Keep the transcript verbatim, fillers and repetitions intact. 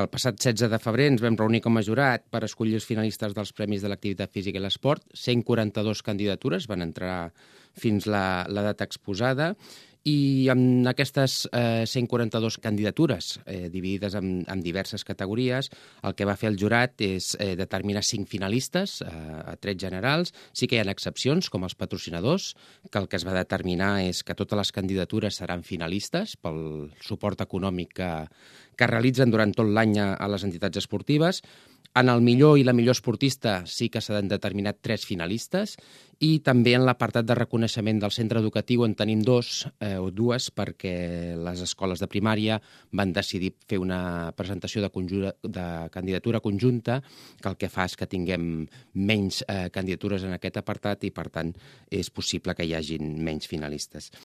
El passat setze de febrer ens vam reunir com a jurat per escollir els finalistes dels Premis de l'Activitat Física i l'Esport. cent quaranta-dues candidatures van entrar fins la, la data exposada i amb aquestes eh, cent quaranta-dues candidatures eh, dividides en, en diverses categories, el que va fer el jurat és eh, determinar cinc finalistes eh, a trets generals. Sí que hi ha excepcions, com els patrocinadors, que el que es va determinar és que totes les candidatures seran finalistes pel suport econòmic que, que realitzen durant tot l'any a, a les entitats esportives. En el millor i la millor esportista sí que s'han determinat tres finalistes i també en l'apartat de reconeixement del centre educatiu en tenim dos eh, o dues perquè les escoles de primària van decidir fer una presentació de, conjura, de candidatura conjunta que el que fa és que tinguem menys eh, candidatures en aquest apartat i per tant és possible que hi hagin menys finalistes.